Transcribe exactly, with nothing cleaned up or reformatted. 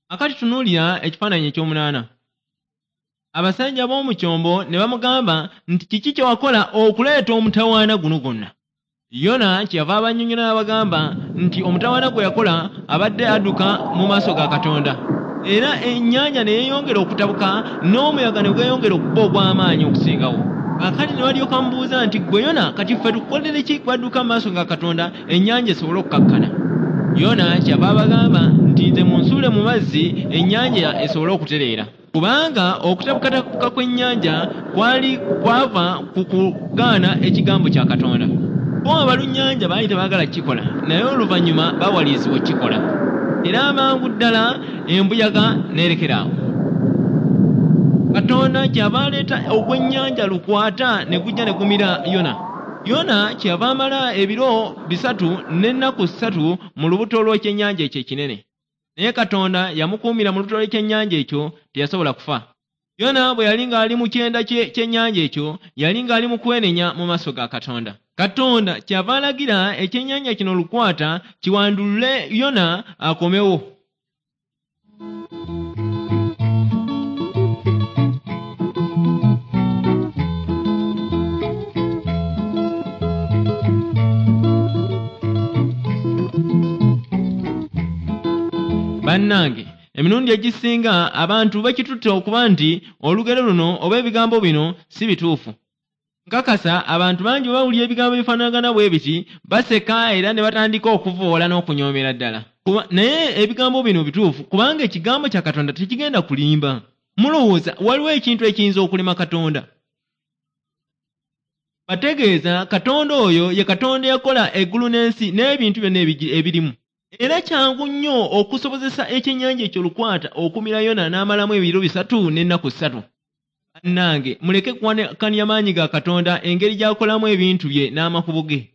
Akati tunuulira ekifaananyi ekyomunaana. Abasajja b'omu kyombo ne bamugamba nti kiki kye wakola okuleeta omutawaana guno gwonna? Yona kyeyava abannyonnyola n'abagamba nti omutawaana gwe yakola abadde adduka mu maaso ga Katonda. Era ennyanja ne yeeyongera okutabuka n'omuyaga ne gweyongera okuba ogw'amaanyi okusingawo. Kaakati ne balyoka bamubuuza nti ggwe Yona kati ffe tukukolere ki gwe adduka mu maaso ga Katonda ennyanja esobole okukakkana? Yona kyeyava abagamba nti nze munsuule mu mazzi ennyanja esobole okutereera. Kubanga okutabukatabuka kw'ennyanja kwali kwava ku kugaana ekigambo kya Katonda. Bo abalunnyanja baali tebaagala kukikola, naye oluvannyuma baawalirizibwa okukikola. Era amangu ddala embuyaga n'erekera awo. Katonda kyava aleeta ogw'ennyanja lukwata ne gujja ne gumira Yona. Yona kyeyava amala ebiro bisatu n'ennaku ssatu mu lubuto lw'ekyennyanja ekyo ekinene. Naye Katonda yamukuumira mu lubuto lw'ekyennyanja ekyo, teyasobola kufa. Yona bwe yali ng'ali mu kyenda ky'ennyanja ekyo, yali ng'ali mu kwenenya mu maaso ga Katonda. Katonda kyava alagira ekyennyanja kino lukwata kiwandulule Yona akomewo. Bannange, emirundi egisinga abantu bakitutte okuba nti olugero luno oba ebigambo bino si bituufu. Nkakasa abantu bangi bwe bawulira ebigambo ebifaanagana bwe biti baseka era ne batandika okuvoola n'okunyoomera ddala. Naye ebigambo bino bituufu kubanga ekigambo kya Katonda tekigenda kulimba. Mulowooza waliwo ekintu ekiyinza okulema Katonda? Bategeeza Katonda oyo ye Katonda eyakola eggulu n'ensi n'ebintu byonna ebirimu. Era kyangu nnyo okusobozesa ekyennyanja ekyo lukwata okumira Yona n'amalamu ebiro bisatu n'ennaku ssatu. Bannange muleke kuwakanya maanyi ga Katonda engeri gy'akolamu ebintu bye n'amakubo ge.